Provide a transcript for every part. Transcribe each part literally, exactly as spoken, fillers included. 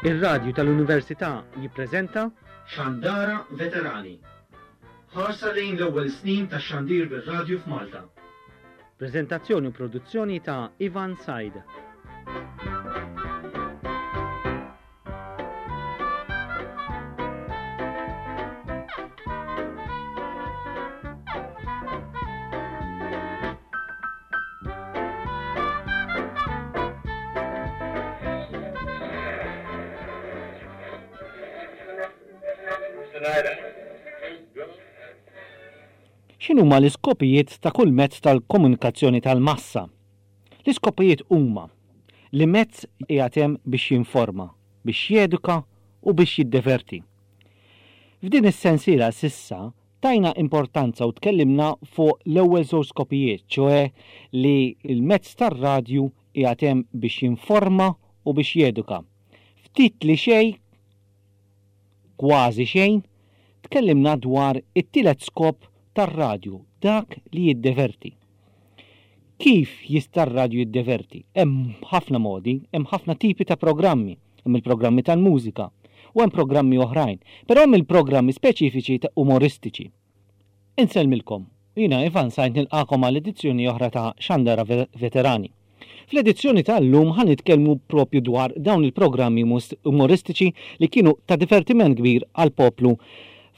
Ir-radju tal-Università jippreżenta Xandara Veterani. Ħarsa lejn l-ewwel snin tax-xandir bir-radju f'Malta. Preżentazzjoni u produzzjoni ta' Ivan Said. X'inhuma l-iskopijiet ta' kull mezz tal-komunikazzjoni tal-massa? L-iskopijiet huma li mezz qiegħed hemm biex jinforma, biex jeduka u biex jiddeverti. F'din is-sensiela s'issa tajna importanza u tkellimna fuq l-ewwel żewġ skopijiet, ċoe li l-mezz tar-radju qiegħed hemm biex jinforma u biex jeduka. Ftit li xejn, kważi xejn, tkellimna dwar it-tielet skop tar-radju, dak li jiddeverti. Kif jista' r-radju jiddeverti? Hemm ħafna modi, hemm ħafna tipi ta' programmi, hemm il-programmi tal-mużika u hemm programmi oħrajn, però hemm il-programmi speċifiċi ta' umoristiċi. Insellmilkom, jiena Ivan Sajt nilqakom għal edizzjoni oħra ta' Xandara Veterani. Fl-edizzjoni tal-lum ħa nitkellmu propju dwar dawn il-programmi umoristiċi li kienu ta' divertiment kbir għall-poplu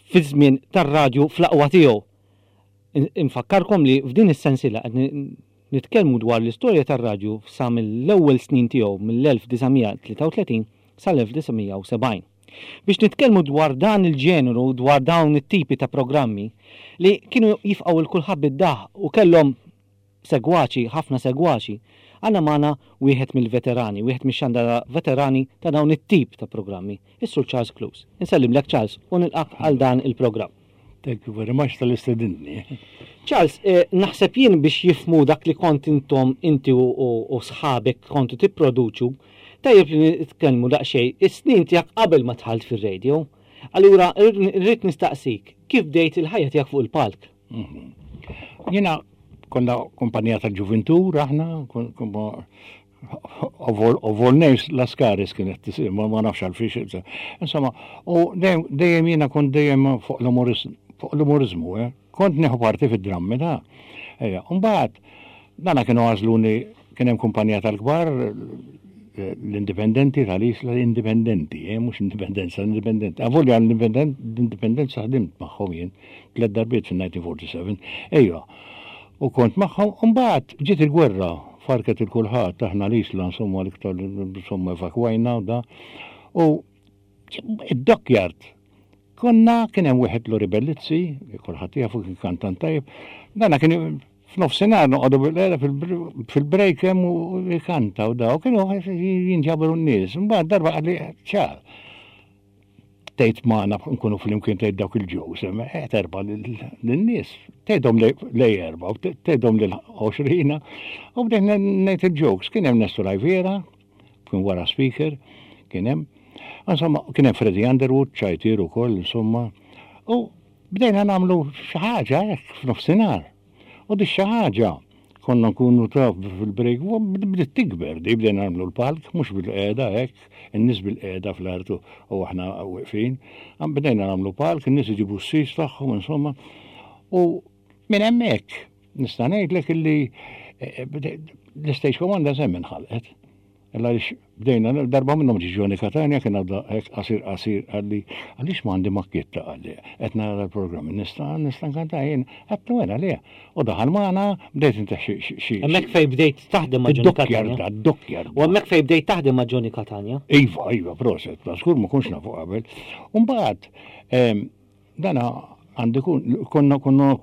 fi żmien tar-radju fl-aqwa tiegħu. Infakkarkom li f'din is-sensiela qed nitkellmu dwar l-istorja tar-radju sa mill-ewwel snin tiegħu mill-elf disa' mija tlieta u tletin sal-elf disa' mija u sebgħin. Biex nitkellmu dwar dan il-ġeneru, dwar dawn it-tipi ta' programmi li kienu jifqgħu l kulħadd bid-daħ u kellhom segwaċi, ħafna segwaċi, għandna magħna wieħed mill-veterani, wieħed mix-xandara veterani ta' dawn it-tip ta' programmi, is-Sur Charles Clews. Insellimlek Charles u nilqak għal dan il-programm. Thank you very much tal-istedinni. Charles, eh, naħseb jien biex jifmu dak li kont intom inti u, u, u sħabek kontu tipproduċu, tajjeb li nitkellmu daqsxejn is-snin tiegħek qabel ma dħalt fir-radio. Allura rrid nistaqsik, kif bdejt il-ħajja tiegħek fuq il-palk? Mhm. Jiena konna kumpanija tal-ġuventur aħna, of all, of all names, Lascaris kienet tisir, ma, ma nafx għalfiex. Insomma, u dejjem, dejjem jiena kont dejjem fuq l-umoris-, fuq l-umorizmu, eh? Kont nieħu parti fid-drammi da. Ejja, u mbagħad dana kienu għażluni, kien hemm kumpanija tal-kbar, l-indipendenti tal-Isla, l-indipendenti, eh, mhux indipendenza, l-indipendenti. Avolja l-indipendenza ħdimt magħhom jien tliet darbiet fin-nineteen forty-seven. Ejja, u kont magħhom, u mbagħad ġiet il-gwerra, farket il-kulħadd, aħna l-Isla, insomma, l-iktar, insomma, evakwajna u da. U id-dockyard, konna kien hemm wieħed Lori Bellizzi, kulħadd jafu kien kantant tajjeb, dana kien f'nofsinhar noqogħdu bil-qeda fil-break hemm u jkanta u daw, kienu jinġabru n-nies. Imbagħad darba qalli ċar. Tgħid magħna nkunu flimkien tgħid dawk il-ġews, qed erba' lin-nies. Tgħidhom lej erba' u tgħidhom lil għoxrina u bdejt ngħid il-jokes. Kien hemm Nestor Rivera, kien wara speaker, kien hemm. Insomma, kien hemm Freddie Underwood, ċajtier ukoll, insomma. U bdejna nagħmlu xi ħaġa hekk f'nofsinhar. U di xi ħaġa konna nkunu taf fil-break, u bdiet tikber, di bdejna nagħmlu l-palk, mhux bil-qiegħda hekk, in-nies bil-qiegħda fl-art u aħna weqfin. Għam bdejna nagħmlu palk, in-nies iġibu s-sis tagħhom, insomma. U minn hemmhekk nista' ngħidlek illi, eh, eh, l-Stage Commander semmen ħalqet. Illa għaliex bdejna, darba minnhom ġie Johnny Catania, kien għadda hekk qasir qasir, qalli, għaliex m'għandi makkietta, qalli, qed nara l-programm, nista', nista' nkanta jien, qed wera le. U daħal magħna, bdejt inti xi, xi, xi, Hemmhekk fejn bdejt taħdem ma' Johnny Id-dokkjar Catania? da, id-dokkjar. U hemmhekk fejn bdejt taħdem ma' Johnny Catania? Iva, iva, proset, ta' żgur ma kontx nafu qabel. U mbagħad, ehm, dana għandi kun, konna, konna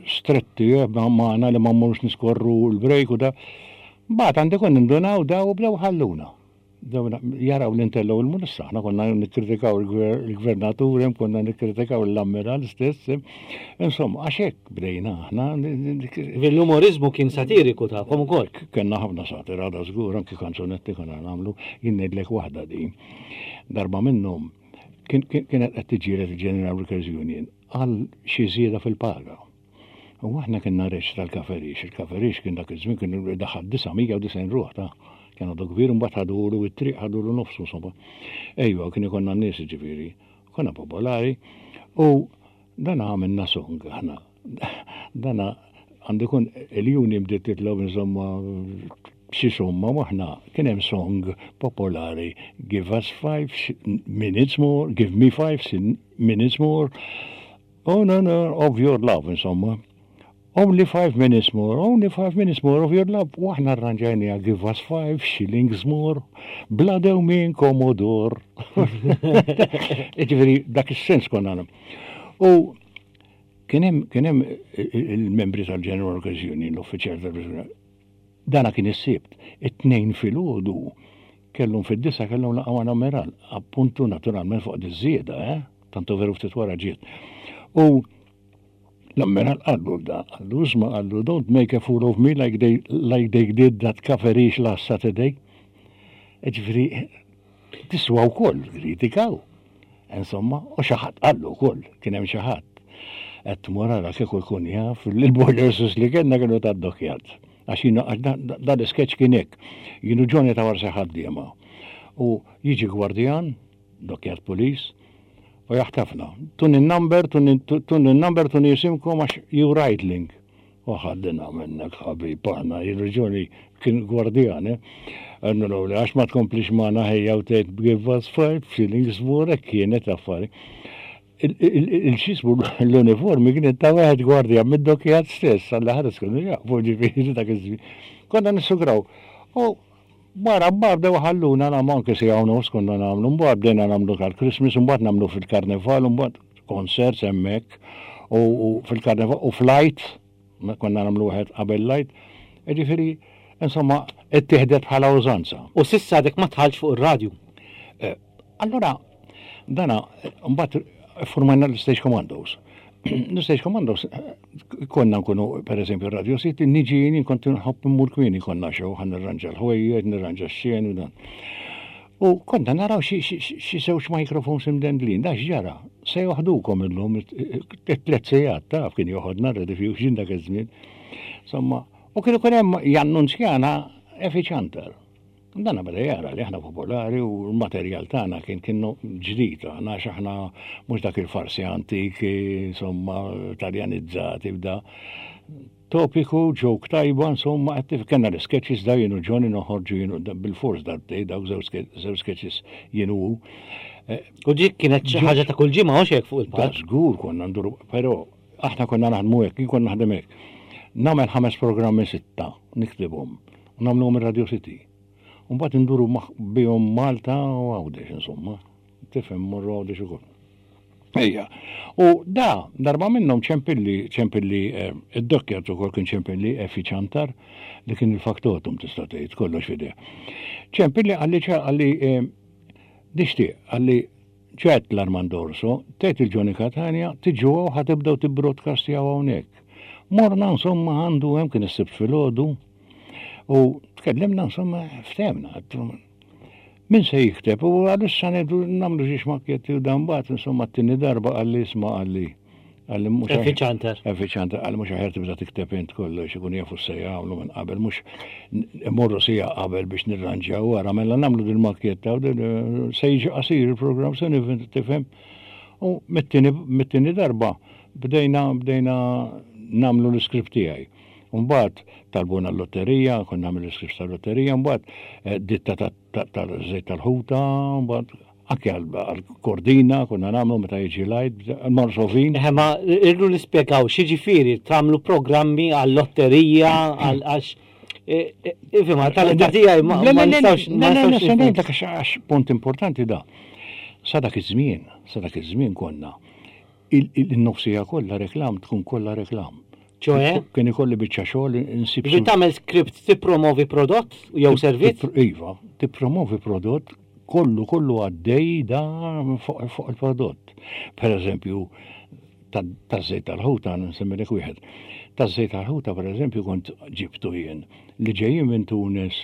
stretti, eh, magħna li ma mmorrux niskorru l-break u da. Mbagħad għandi kun nindunaw daw u bdew ħalluna. Bdew jaraw li ntellgħu il-munissa. Aħna konna nikkritikaw il-gver-, il-gvernatur, hemm konna nikkritikaw l-ammiral stess. Insomma, għax hekk bdejna aħna. L-umorizmu kien satiriku tagħkom ukoll. Kellna ħafna satira da żgur, anki kanzunetti konna nagħmlu. Jien ngħidlek waħda din. Darba minnhom kien, kien, kienet qed tiġġieled il-General Workers Union għal xi żieda fil-paga. U aħna kienna reċ tal-Kaferix, il-Kaferix kien dak iż-żmien kien daħal disa' mija u disgħin ruħ ta' Kien għadu kbir, mbagħad ħadulu it-triq, ħadulu nofsu, insomma. Ejwa, kien ikollna n-nies, ġifieri, konna popolari, u dan għamilna song aħna. Dana għandu kun il-union bdiet titlob, insomma, xi somma, aħna kien hemm song popolari: "Give us five minutes more, give me five minutes more, oh no no, of your love", insomma. "Only five minutes more, only five minutes more of your love." U aħna arranġajnieha: "Give us five shillings more, bla dewmien Commodore." Ġifieri, dak is-sens konna. U kien hemm il-membri tal-General Workers Union, l-uffiċjal tal. Dana kien is-Sibt, it-Tnejn filgħodu kellhom fid-disgħa kellhom laqgħa mal-ammiral, appuntu naturalment fuq diż-żieda, eh? Tantu veru ftit wara ġiet. U l-ammiral qallu da, qallu isma', qallu, "Don't make a fool of me like they, like they did that Caferish last Saturday." Ġifieri, tiswa wkoll, kritikaw. Insomma, u xi ħadd qallu wkoll, kien hemm xi ħadd. Qed morala kieku jkun jaf il-boilers li kellna kienu tad-dockyard. Għax jiena dan l-sketch kien hekk. Jienu Johnny ta' warsa ħaddiema. U jiġi gwardjan, dockyard police, u jaħtafna. "Tuni number, tuni number, tuni jisimkom għax you idling." U ħaddina minnek ħabib aħna, jirġuni kien gwardjan, eh? Għannu l għax ma tkomplix magħna ħejja u tgħid "give us five shillings more", kienet affari. Il-xismu l-uniformi kienet ta' wieħed gwardja mid-dockyard stess, għalla ħares kienu jafu, ġifieri dak iż-żmien. Konna nissugraw. U barra bar bdew ħalluna nagħmlu anke siegħa u nofs konna nagħmlu, mbagħad bdejna nagħmlu tal-Christmas, mbagħad nagħmlu fil-Karnival, mbagħad concerts hemmhekk u fil-Karnival u fl-Għid, konna nagħmlu wieħed qabel l-Għid. Ġifieri, insomma, ittieħdet bħala użanza. U s'issa għadek ma dħaltx fuq ir-radju. Eh, allora, dana, mbagħad formajna l-Stage Commandos. L-Stage Commandos, konna nkunu, per eżempju, Radio City, niġi jien kont nħobb immur kmieni, konna xew, ħa nirranġa l-ħwejjeġ, nirranġa x-xen u dan. U konna naraw xi żewġ microphones imdendlin, da ġara, se joħdukom illum, tliet sigħat, taf kien joħodna Rediffusion dak iż-żmien. Insomma, u kienu kien hemm jannunzjana Effie Ciantar. Dana beda jara li aħna popolari u l-materjal tagħna kien kienu ġdid, aħna għax aħna mhux dak il-farsi antiki, insomma, taljanizzati bda. Topiku, joke tajba, insomma, għattif kellna l-sketches da jienu Johnny noħorġu jienu bil-fors darbtej, dawk żewġ sketches jienu. Eh, u dik kienet xi ħaġa ta' kull ġimgħa hekk fuq il-palk. Żgur konna nduru, però aħna konna naħdmu hekk, jien konna naħdem hekk. Nagħmel ħames programmi sitta, niktibhom, u nagħmluhom ir-Radio City. Mbagħad induru bihom Malta u Għawdex, insomma. Tifhem, morru Għawdex ukoll. Ejja. U da, darba minnhom ċempilli, ċempilli eh, id-dockyard ukoll kien ċempilli Effie Ciantar li kien il-factotum tista' tgħid kollox f'idejh. Ċempilli qalli qalli eh, nixtieq qalli ċet l-Armando Orso, tgħid il-Johnny Catania, tiġu ħa tibdew tibbroadcastjaw hawnhekk. Morna, insomma, għandu hemm, kien is-Sibt filgħodu u tkellimna, insomma, ftehemna. Min se jikteb? U għalissa ngħidu nagħmlu xi makketti u dan bat, insomma, t-tieni darba qalli isma' qalli qalli mhux Effie Ciantar. Effie Ciantar qalli mhux aħjar tibda tikteb int kollox, ikun jafu se jagħmlu minn qabel, mhux imorru siegħa qabel biex nirranġaw wara, mela nagħmlu din makketta u se jiġi qasir il-programm se tifhem. U mit-tieni darba bdejna bdejna nagħmlu l-iskript tiegħi. Mbagħad talbuna l-lotterija, konna nagħmel l-iskript tal-lotterija, mbagħad eh, ditta tal-żejt tal-ħuta, mbagħad anke għal-kordina, konna nagħmlu meta jiġi l-Għid, marsofin. Eħe, ma irru nispjegaw x'jiġifieri tagħmlu programmi għal-lotterija għal għax ifhem tal-età tiegħi ma nistgħux. Le, le, le, ngħidlek għax punt importanti da. Sa dak iż-żmien, sa dak iż-żmien konna il-nofsija kollha reklam, tkun kollha reklam. ċoħe? Kien ikolli biċċa xogħol insib. Biex tagħmel script tippromovi prodott jew servizz? Iva, tippromovi prodott kollu kollu għaddej da fuq il-prodott. Per eżempju, taż-żejt tal-ħuta, nsemmilek wieħed. Taż-żejt tal-ħuta, per eżempju, kont ġibtu jien li ġejjin minn Tunis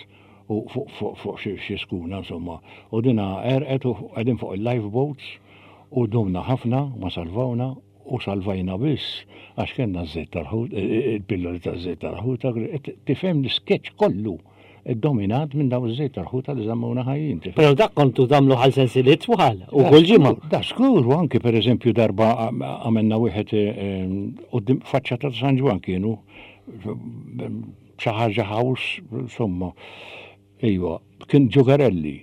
u fuq xi skuna, insomma, u dina għerqet u qegħdin fuq il-lifeboats u dumna ħafna ma salvawna u salvajna biss għax kellna ż-żejt tal-ħut, il-pilloli taż-żejt tal-ħuta, tifhem l-sketch kollu. Dominat minn daw iż-żejt tal-ħuta li żammuna ħajjin. Però dak kontu tagħmlu għal sensiliet twal u kull ġimgħa. Da skur, u anki per eżempju darba għamilna wieħed quddiem faċċata ta' San Ġwann kienu xi ħaġa house, insomma. Ejwa, kien Ġugarelli.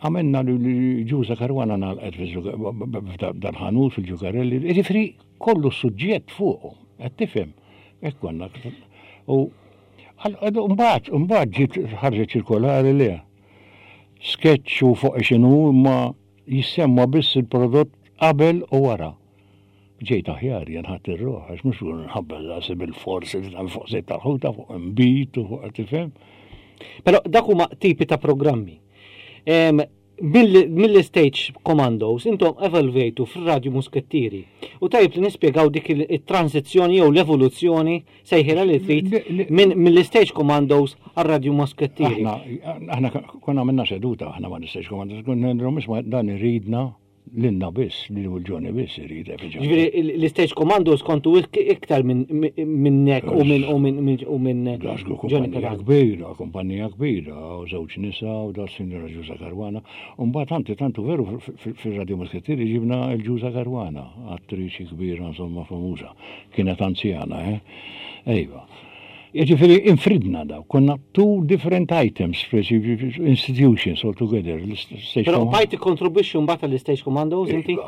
Għamilna li Ġuża Karwana nagħlqet dal-ħanut fil-Ġugarelli. Jiġifieri kollu suġġett fuqhom, qed tifhem. Hekk konna. U mbagħad, mbagħad ġiet ħarġet ċirkolari li sketch u fuq x'inhu ma jissemma biss il-prodott qabel u wara. Ġejt aħjar jien ħadd ir-ruħ, għax mhux nħabbel rasi bil-forsi fuq żejt tal-ħuta, fuq imbit u fuq tifhem. Però dak huma tipi ta' programmi. Mill-Stage Commandos intom evolvejtu fir-Radju Muskettieri. U tajjeb li nispjegaw dik il-transizzjoni jew l-evoluzzjoni sejħira li trid mill-Stage Commandos għar-Radju Muskettieri. Aħna konna għamilna seduta aħna ma' l-Stage Commandos, konna ngħidulhom dan iridna lilna biss, lil Ġoni biss irid. Ġifieri l-Stage Commandos kontu iktar minnek u minn u minn u minn Ġoni kumpanija kbira, kumpanija kbira, u żewġ nisa u da Sinjora Ġuża Karwana. U mbagħad tanti tantu veru fir-Radio Muskettieri ġibna l-Ġuża Karwana, attriċi kbira insomma famuża, kienet anzjana, eh? Ejwa. Ġifieri infridna daw, konna two different items, institutions all together. Però bajt tikkontribwixxi mbagħad għall-Stage Commandos inti?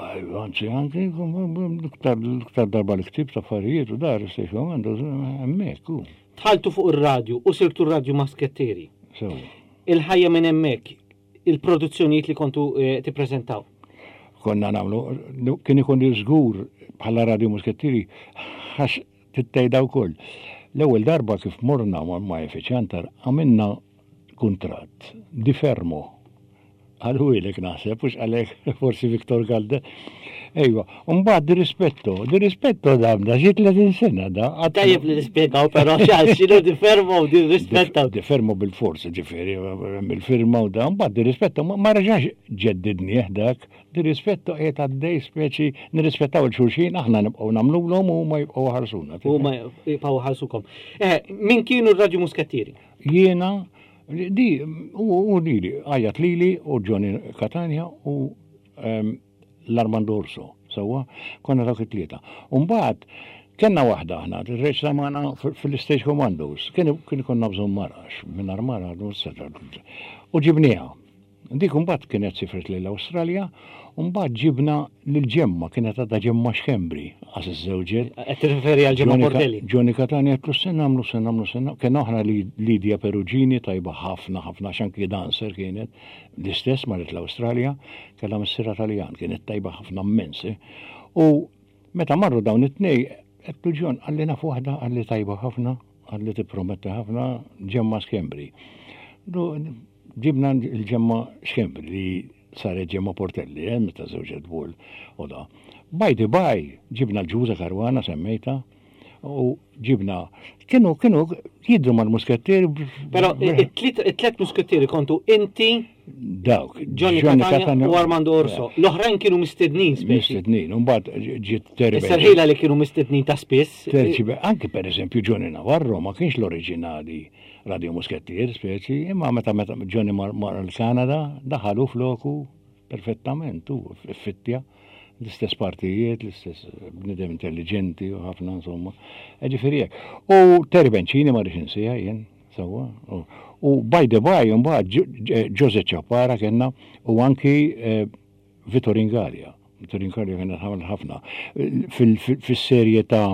Anzi, anzi, l-iktar darba l-ktib ta' affarijiet u dar Stage Commandos hemmhekk. Dħaltu fuq ir-radju u sirtu r-Radju Muskettieri. Il-ħajja minn hemmhekk, il-produzzjonijiet li kontu tippreżentaw. Konna nagħmlu, kien ikun żgur bħala Radio Muskettieri għax tittejda wkoll. L-ewwel darba kif morna ma' Effiċjantar għamilna kuntratt di fermo. Għalhu naħseb, mhux għalek forsi Viktor Galde. Ejwa, mbagħad di rispetto, di rispetto damna xi tletin sena da. Tajjeb li nispjegaw però x'għal x'inhu di fermo u di rispetto. Di fermo bil-forsi ġifieri, bil-firma u da, mbagħad di rispetto ma reġax ġeddidnieh dak, di rispetto qiegħed għaddej speċi nirrispettaw il-xulxin, aħna nibqgħu nagħmluhom u huma jibqgħu ħarsuna. Huma jibqgħu ħarsukom. Eh, min kienu r-Radju Muskettieri? Jiena, di, u lili, għajat lili u Johnny Catania u l-Armando Orso, sewwa, konna dawk it-tlieta. U mbagħad kellna waħda aħna, tirreċta magħna fil-Stage Commandos, kien konna bżonn marax, mingħajr mara, u ġibnieha. Dik mbagħad kienet sifret lill-Awstralja, u mbagħad ġibna lil Ġemma, kienet għadha Ġemma Xkembri, għas iż-żewġet. Qed tirreferi għal Ġemma Portelli. Johnny Catania qed se nagħmlu, se nagħmlu, se nagħmlu. Kien oħra Lidia Perugini tajba ħafna, ħafna x'anki dancer kienet, l-istess marret l-Awstralja, kellha missierha Taljan, kienet tajba ħafna immens. U meta marru dawn it-tnej, qed John qalli naf waħda, qalli tajba ħafna, qalli tipprometti ħafna, Ġemma Xkembri. Ġibna l-Ġemma Xkembri li saret Ġemma Portelli, eh, meta żewġet Bull u da. By the by, ġibna l-Ġuża Karwana semmejta, u ġibna, kienu, kienu jidru mal-muskettieri. Però it-tlet muskettieri kontu inti, dawk, Johnny Catania u Armando Orso. L-oħrajn kienu mistednin speċi. Mistednin, u mbagħad ġiet Terry. Issa li kienu mistednin ta' spiss. Anki per eżempju Johnny Navarro ma kienx l-oriġinali Radio Muskettier speċi, imma meta meta Johnny mar l-Kanada daħalu floku perfettament u fittja l-istess partijiet, l-istess bnidem intelligenti u ħafna insomma. Ġifieri hekk. U Terry Bencini ma rridx insiha jien, sewwa. U by the by, mbagħad Jose Ciappara kellna u anki Vittorin Gallia. Vittorin Gallia kienet ħafna. Fis-serje ta'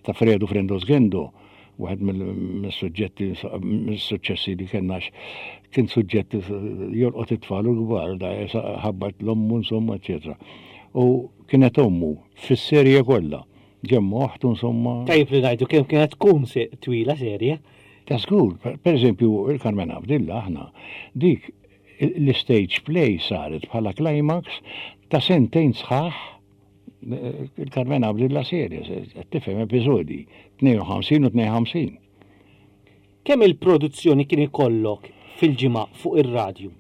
ta' Fredu Frendo Sgendo, wieħed mill-suġġetti, mill-suċċessi li kellna kien suġġetti jolqot it-tfal u l-kbar, da ħabbat l-ommu insomma, eċetera. U kienet ommu fis-serje kollha. Ġemma oħtu insomma. Tajjeb li ngħidu kemm kienet tkun twila serje. Ta' żgur, per eżempju, il-Carmen Abdilla aħna dik l-stage play saret bħala climax ta' sentejn sħaħ il-Carmen Abdilla serje, tifhem episodi, tnejn u ħamsin u tnejn u ħamsin. Kemm il-produzzjoni kien ikollok fil-ġimgħa fuq ir-radju?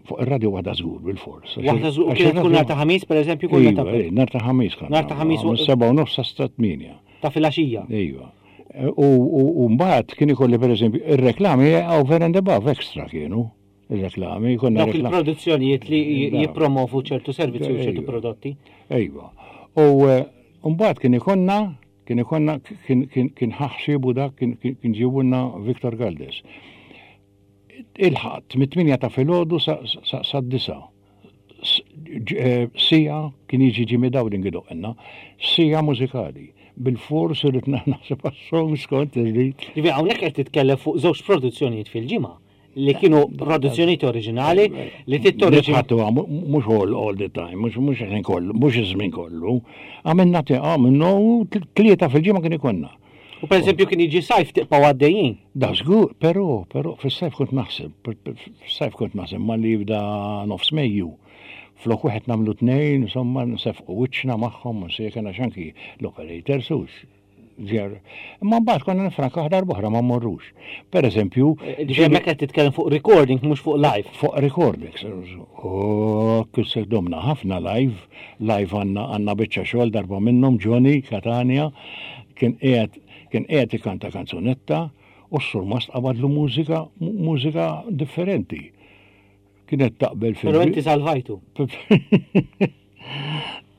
Fuq ir-radju waħda żgur bil-fors. Waħda żgur, kienet tkun nhar ta' ħamis pereżempju kull meta. Nhar ta' ħamis kan. Nhar ta' ħamis u seba' u nofs sa tmienja. Ta' filgħaxija. Ejwa. U mbagħad kien ikolli pereżempju ir-reklami over and above extra kienu. Ir-reklami, konna Dawk il-produzzjonijiet li jippromovu ċertu servizzi u ċertu prodotti. Ejwa. U mbagħad kien ikonna kien ikonna kien ħaxxibu dak kien ġibulna Victor Galdes. Il-ħadd mit-tmienja ta' filgħodu sa disa. Sija kien jiġi Jimmy Dowling idoqqilna, sija mużikali. Bil-fors irrid naħseb għas-songs kont irrid. Ġifieri hawnhekk qed titkellem fuq żewġ produzzjonijiet fil-ġimgħa li kienu produzzjonijiet oriġinali li tittoriġina. Mhux all all the time, mhux mhux ħin kollu, mhux iż-żmien kollu. Għamilna għamilna tlieta fil-ġimgħa kien ikollna. U per eżempju kien jiġi sajf tibqgħu għaddejjin. Da żgur, però però fis-sajf kont naħseb, fis-sajf kont naħseb malli jibda nofs Mejju. Flok wieħed nagħmlu tnejn, insomma nsefqu wiċċna magħhom, nsejken għax anki l-operator sux. Imma mbagħad konna nifranka darba oħra ma mmorrux. Per eżempju, hemmhekk qed titkellem fuq recording mhux fuq live. Fuq recording. Oh, kif domna ħafna live, live għandna għandna biċċa xogħol darba minnhom Johnny Catania kien qiegħed kien qiegħed ikanta kanzunetta u s-surmast qabadlu mużika mużika differenti. Kienet taqbel fil. Però inti salvajtu.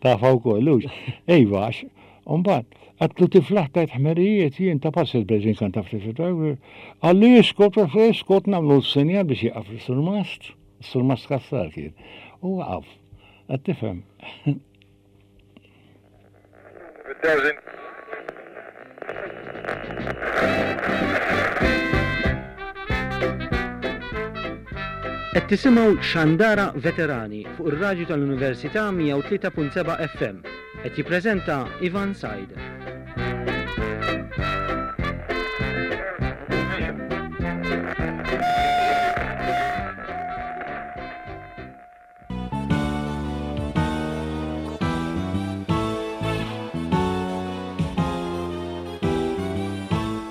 Tafa wkoll, hux. Ejva, għax mbagħad għatlu tiflaħ tajt ħmerijiet jien ta' pass il-Breżin kan taf ftit. Għalli iskot, iskot nagħmlu s-sinjal biex jieqaf is-surmast. Is-surmast kassar kien. U waqaf. Qed tifhem. Qed tisimgħu Xandara Veterani fuq ir-radju tal-Università mija u tlieta punt seba' F M. Qed jippreżenta Ivan Said.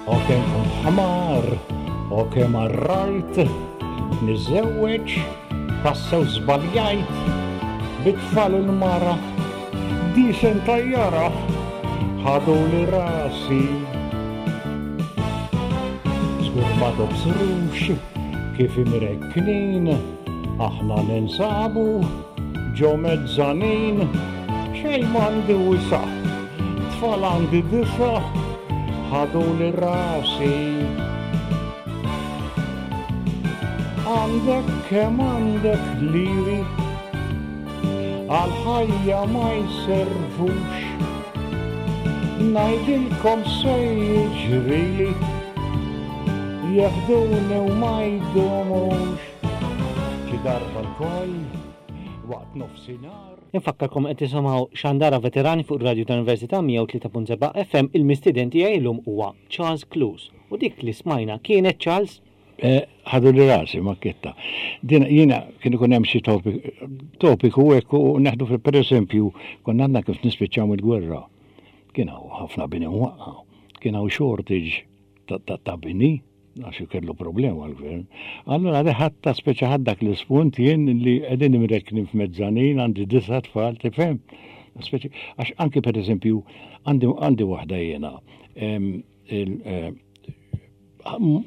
O kemm kont ħmar, o kemm arrajt, niżewweġ, tassew żbaljajt, bit-tfal u l-mara, disen tajjara, ħadu li rasi. Żgur ma tobsrux kif imrekknin, aħna ninsabu ġo mezzanin, xejn m'għandi wisa', tfal għandi disa', ħadu li rasi. Għandek kemm għandek liri, għal-ħajja ma jservux, ngħidilkom se jiġrili, jeħduni u ma jdumux, xi darba lkoll waqt nofsinhar. Infakkarkom qed tisimgħu Xandara Veterani fuq ir-radju tal-Università mija u tlieta punt seba' F M. Il-mistieden tiegħi llum huwa Charles Clews. U dik li smajna kienet Charles Ħadu li rasi makketta. Din jiena kien ikun hemm xi topiku hekk u neħdu pereżempju konna għandna kif nispiċċaw il-gwerra. Kien hawn ħafna bini waqqa, kien hawn shortage ta' bini għax kellu problema l-gvern. Allura ħadd speċa ħadd dak l-ispunt jien li qegħdin imrekknin f'mezzanin għandi disa' tfal tifhem. Speċi għax anki pereżempju għandi għandi waħda jiena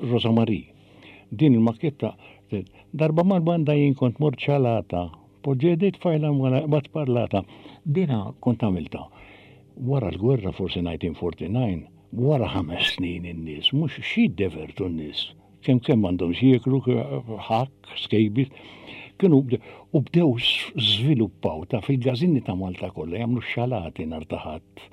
Rosa Marie. Din il-makketta darba mal-banda jien kont mort ċalata, poġġediet fajla ma tparlata. Dina kont għamilta. Wara l-gwerra forsi nineteen forty-nine, wara ħames snin in-nies, mhux xi jiddevertu n-nies. Kemm kemm għandhom xi jieklu, ħakk, skejbis. Kienu u bdew żviluppaw ta' fil-gażini ta' Malta kollha jagħmlu xalati nhar ta' ħadd.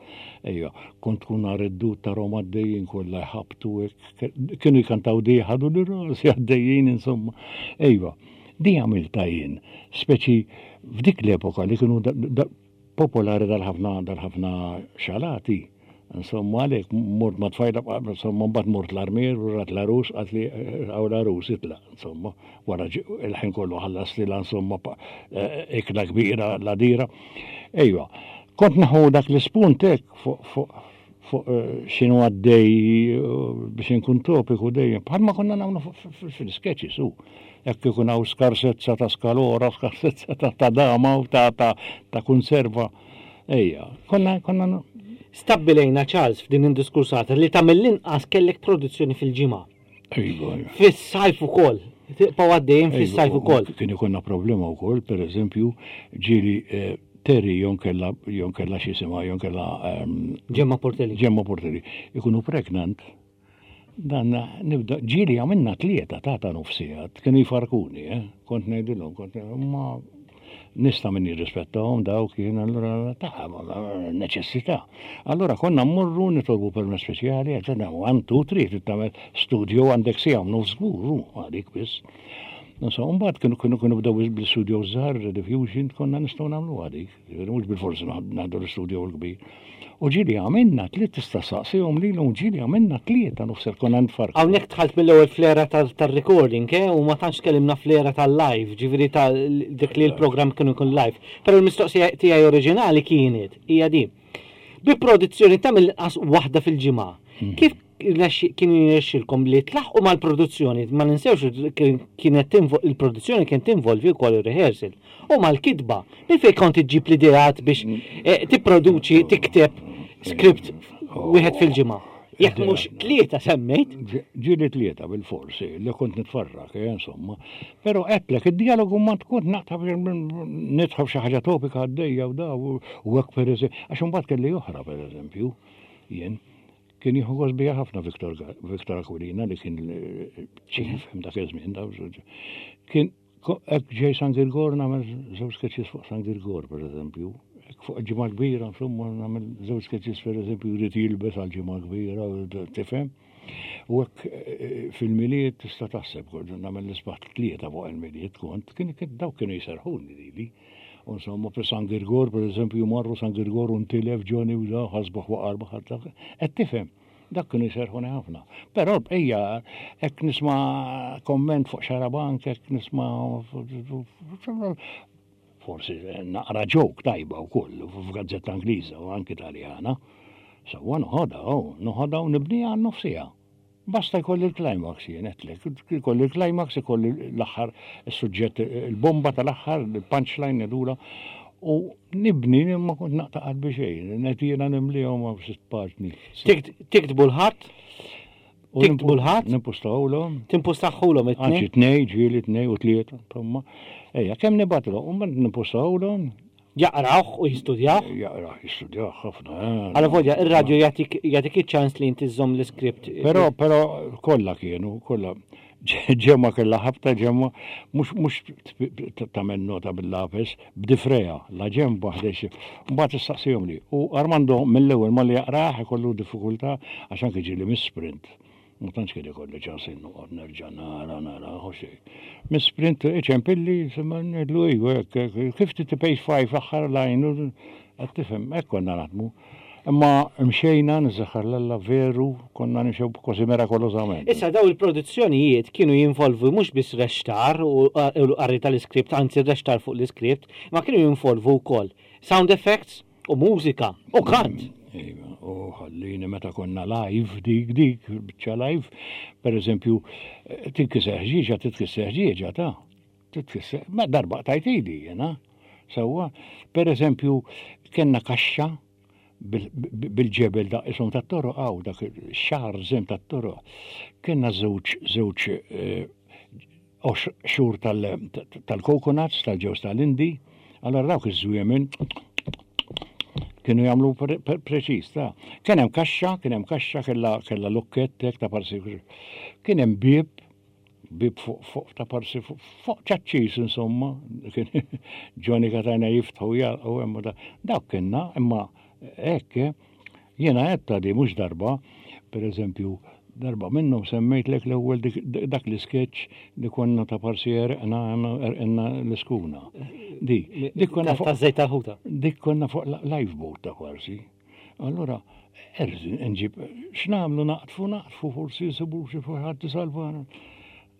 Ejja, kont tkun nhar id-dud ta' Roma għaddejjin kollha jħabtu hekk, kienu jkantaw di ħadu li rasi għaddejjin insomma. Ejwa, di għamilta jien, speċi f'dik l-epoka li kienu popolari dal-ħafna dal-ħafna xalati. Insomma, għalek, mort ma tfajla, insomma, mbagħad mort l-armier, u rat l-arus, għat li għaw l-arus itla, insomma, wara il-ħin kollu ħallas li insomma, ikla kbira, la dira. Ejwa, kont naħu dak l-ispunt hekk fuq fuq x'inhu għaddej biex inkun topiku dejjem, bħalma konna nagħmlu fil-sketches u jekk ikun hawn skarsezza ta' skalora, skarsezza ta' dama u ta' konserva. Ejja, konna konna Stabbilejna, Charles, f'din id-diskursata li ta' mill-inqas kellek produzzjoni fil-ġimgħa. Iva. Fis-sajf ukoll. Tibqgħu għaddejjin fis-sajf ukoll. Kien ikollna problema wkoll, per eżempju, ġieli eh, Terry jonkella jonkella x'jisimha, jonkella ehm, Ġemma Portelli. Ġemma Portelli. Ikunu pregnant. Dan nibda, ġieli għamilna tlieta ta' ta' nofs siegħa, kienu jfarkuni, eh? Kont ngħidilhom, kont ma nista' min jirrispettahom daw kien allura ta' neċessità. Allura konna mmorru nitolbu permess speċjali, għedna one, two, three, trid tagħmel studio għandek siegħa u nofs żgur, għalik biss. Insomma, mbagħad kienu kienu kienu bdew bil-studio żgħar, Rediffusion, konna nistgħu nagħmlu għadik. Mhux bil-forsi naħdu l-studio l-kbir. U ġieli għamilna tliet tista' saqsihom lilhom ġieli għamilna tlieta nofs konna nfarku. Hawnhekk dħalt mill-ewwel fl-era tal-recording, eh, u ma tantx tkellimna fl-era tal-live, ġifieri ta' dik li l-programm kienu jkun live. Però l-mistoqsija tiegħi oriġinali kienet hija di. Bi produzzjoni ta' mill-inqas waħda fil-ġimgħa. Kif kienu jirnexxilkom li tlaħqu mal-produzzjoni, ma ninsewx kienet il-produzzjoni kien tinvolvi wkoll il-rehearsal. U mal-kitba, minn fejn kont iġġib l-ideat biex eh, tipproduċi, tikteb script wieħed fil-ġimgħa? Jekk mhux tlieta semmejt. Ġieli tlieta bil-forsi, li kont nitfarrak, eh, insomma. Però għedtlek, id-dialogu ma tkun naqta nidħol xi ħaġa topika għaddejja u da u hekk per eżempju, għax imbagħad kelli oħra per eżempju, jien kien jieħu gost bija ħafna Viktor Viktor Aquilina li kien chief dak iż-żmien Kien hekk ġej San Girgor nagħmel żewġ sketches fuq San Girgor per eżempju. Fuq ġimgħa kbira, insomma, nagħmel żewġ sketches per eżempju jrid jilbes għal ġimgħa kbira, tifhem. U hekk eh, fil-Milied tista' taħseb, nagħmel l-isbaħ tlieta fuq il-Milied kont, kien dawk kienu jserħuni lili. Insomma, per San Girgor, per eżempju, marru San Girgor u ntilef Johnny u da, ħasbuh waqar baħar, qed tifhem, dak kienu jserħuni ħafna. Però ejja, hekk nisma' komment fuq Xarabank, hekk nisma' forsi naqra joke tajba wkoll f'gazzetta Ingliża u anki Taljana. Sewwa noħodha, oh, noħodha u nibniha għan nofs siegħa. Basta jkolli il-climax jien għedtlek, jkolli il-climax, jkolli l-aħħar il-suġġett, il-bomba tal-aħħar, il-punchline nedula, u nibni ma kont naqta' qalbi xejn, net jiena nimlihom ma sitt paġni. Tiktbu l-ħadd? Tiktbu l-ħadd? Nimpustawhom. Timpustawhom it-tnejn? Anzi tnej, ġieli tnej u tlieta, insomma. Ejja, kemm nibgħatlu, u mbagħad nimpustawhom. Jaqrawh u jistudjawh? Jaqraw, jistudjawh ħafna. Għala volja, ir-radju jagħtik iċ-ċans li inti żżomm l-iskript. Però, però kollha kienu, kollha. Ġemma kellha ħabta ġemma, mhux mhux tagħmel nota bil-lapes, b'difreja, la ġemba ħdex. Mbagħad issaqsihom li. U Armando mill-ewwel malli jaqrah ikollu diffikultà għax anke ġieli misprint. Ma tantx kien ikolli ċans noqgħod nerġa' nara nara u xejn. Misprint iċempilli, semma ngħidlu ejju hekk, fifty to page five aħħar line, qed tifhem, hekk konna naħdmu. Imma mxejna nżaħar l veru, konna nimxew kważi mirakolosament. Issa daw il-produzzjonijiet kienu jinvolvu mhux biss rextar u l-qari tal-iskript, anzi rextar fuq l-iskript, ma kienu jinvolvu wkoll sound effects u mużika u kant. Iva, u ħallini meta konna live, dik, dik, biċċa live, per eżempju, tinkisser ħġieġa, titkisser ħġieġa, ta' titkisser, ma darba tajt idi, jena, sewwa, per eżempju, kellna kaxxa bil-ġebel da' isom ta' toro, għaw, dak xar zem ta' toro, kellna żewġ, żewġ xhur tal-coconuts, tal-ġews tal-Indi, allora dawk iż-żwiemen kienu jagħmlu preċiż, ta' kien hemm kaxxa, kien hemm kaxxa kellha kellha lukkett hekk ta' parsi. Kien hemm bieb, bieb fuq fuq ta' parsi fuq ċaċċis insomma, kien Johnny Katana jiftħu jgħalqu hemm da. Dawk kienna, imma hekk jiena għedta di mhux darba, per eżempju, darba minnhom semmejtlek l-ewwel dak l-isketch li konna ta' parsi erqna erqna l-iskuna. Di, dik konna fuq Ta' żejt tal-ħuta. Dik konna fuq lifeboat ta' parsi. Allora, erżin, nġib, x'nagħmlu naqtfu, naqtfu, forsi nsibu xi ħadd isalvana.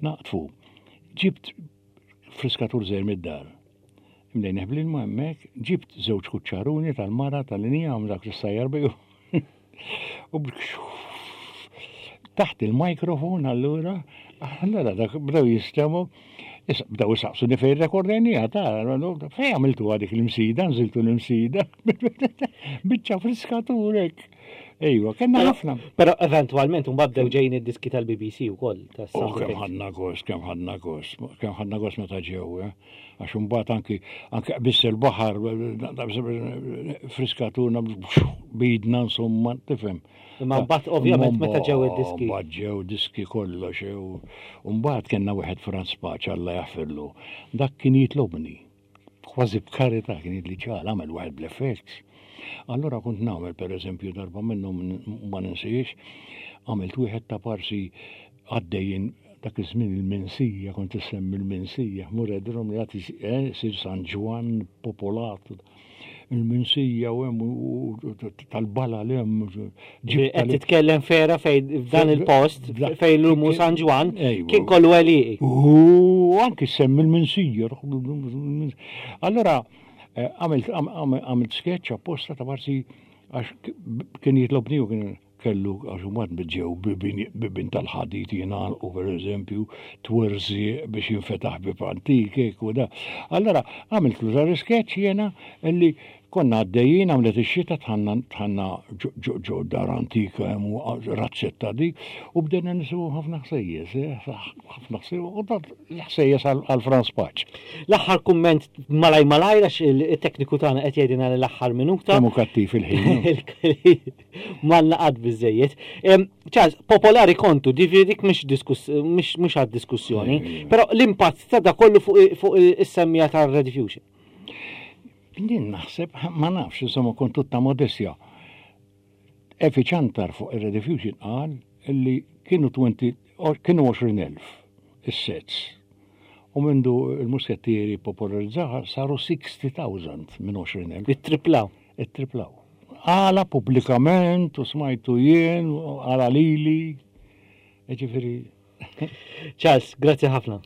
Naqtfu. Ġibt friskatur żgħir mid-dar. Imlejn bl-ilma hemmhekk, ġibt żewġ kuċċaruni tal-mara tal-injam dak li sajjar biju. U taħt il-mikrofon allura, allura dak bdew jistemu, Issa bdew isaqsuni fejn rekordejniha ta' fejn għamiltu dik l-Imsida, nżiltu l-Imsida. Biċċa friskaturek. Ejwa, kellna ħafna. Però eventwalment mbagħad bdew ġejjin id-diski tal-B B C wkoll. Oh, kemm ħadna gost, kemm ħadna gost, kemm ħadna gost meta ġew, eh? Għax imbagħad anki anki biss il-baħar friskaturna bidna, insomma, tifhem. Imma mbagħad ovvjament meta ġew id-diski. Mbagħad ġew diski kollox, u mbagħad kellna wieħed Franz Pace, Alla jaħfirlu. Dak kien jitlobni. Kważi b'karità kien jgħidli, "Ċal, għamel wieħed bl-effects." Allora kont nagħmel, per eżempju, darba minnhom ma ninsiex, għamilt wieħed ta' parsi għaddejjin dak iż-żmien il-Minsija, kont issemmi il-Minsija, mur edrom li għati eh, sir San Ġwann popolat il-Minsija u hemm u tal-bala l hemm. Qed titkellem fera fejn f'dan il-post fejn l-umu San Ġwann kien kollu għelieqi. U anki semmi il-Minsija. Allora eh, għamilt għamilt sketch apposta ta' parsi għax kien jitlobni u kien kellu, għax mbagħad ġew bibien tal-ħadid jingħalqu, per eżempju, twerzi biex jinfetaħ bib antik u da. Allora għamilt l sketch jena illi konna għaddejjin, għamlet ix-xita, dħalna dħalna ġo dar antika hemm u razzetta dik u bdejna nisimgħu ħafna ħsejjes, eh, ħafna ħsejjes, u dat l-ħsejjes għal Franz Pace. L-aħħar kumment malaj malaj għax il-tekniku tagħna qed jgħidilna l-aħħar minuta. Kemm hu kattiv il-ħin. M'għandna qatt biżejjed. Em, Charles, popolari kontu, dik mhix diskuss mhix mhux għad diskussjoni, però l-impatt ta' da kollu fuq fuq is-semmija tar-Rediffusion. Jien naħseb, ma nafx, insomma, kont tutta modestja. Efi Ciantar fuq il-Rediffusion qal illi kienu twenty, kienu għoxrin elf is-sets. U mindu il-muskettieri popolarizzaha saru sixty thousand minn għoxrin elf. It-triplaw. It-triplaw. Għala pubblikament u smajtu jien, u għala lili. Ġifieri, Charles, grazzi ħafna.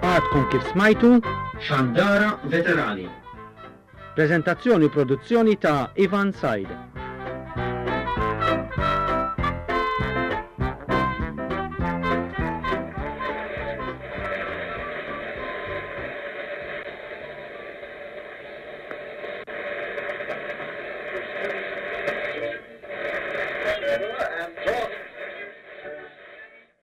Għadkom kif smajtu Xandara Veterani. Prezentazzjoni u produzzjoni ta' Ivan Said.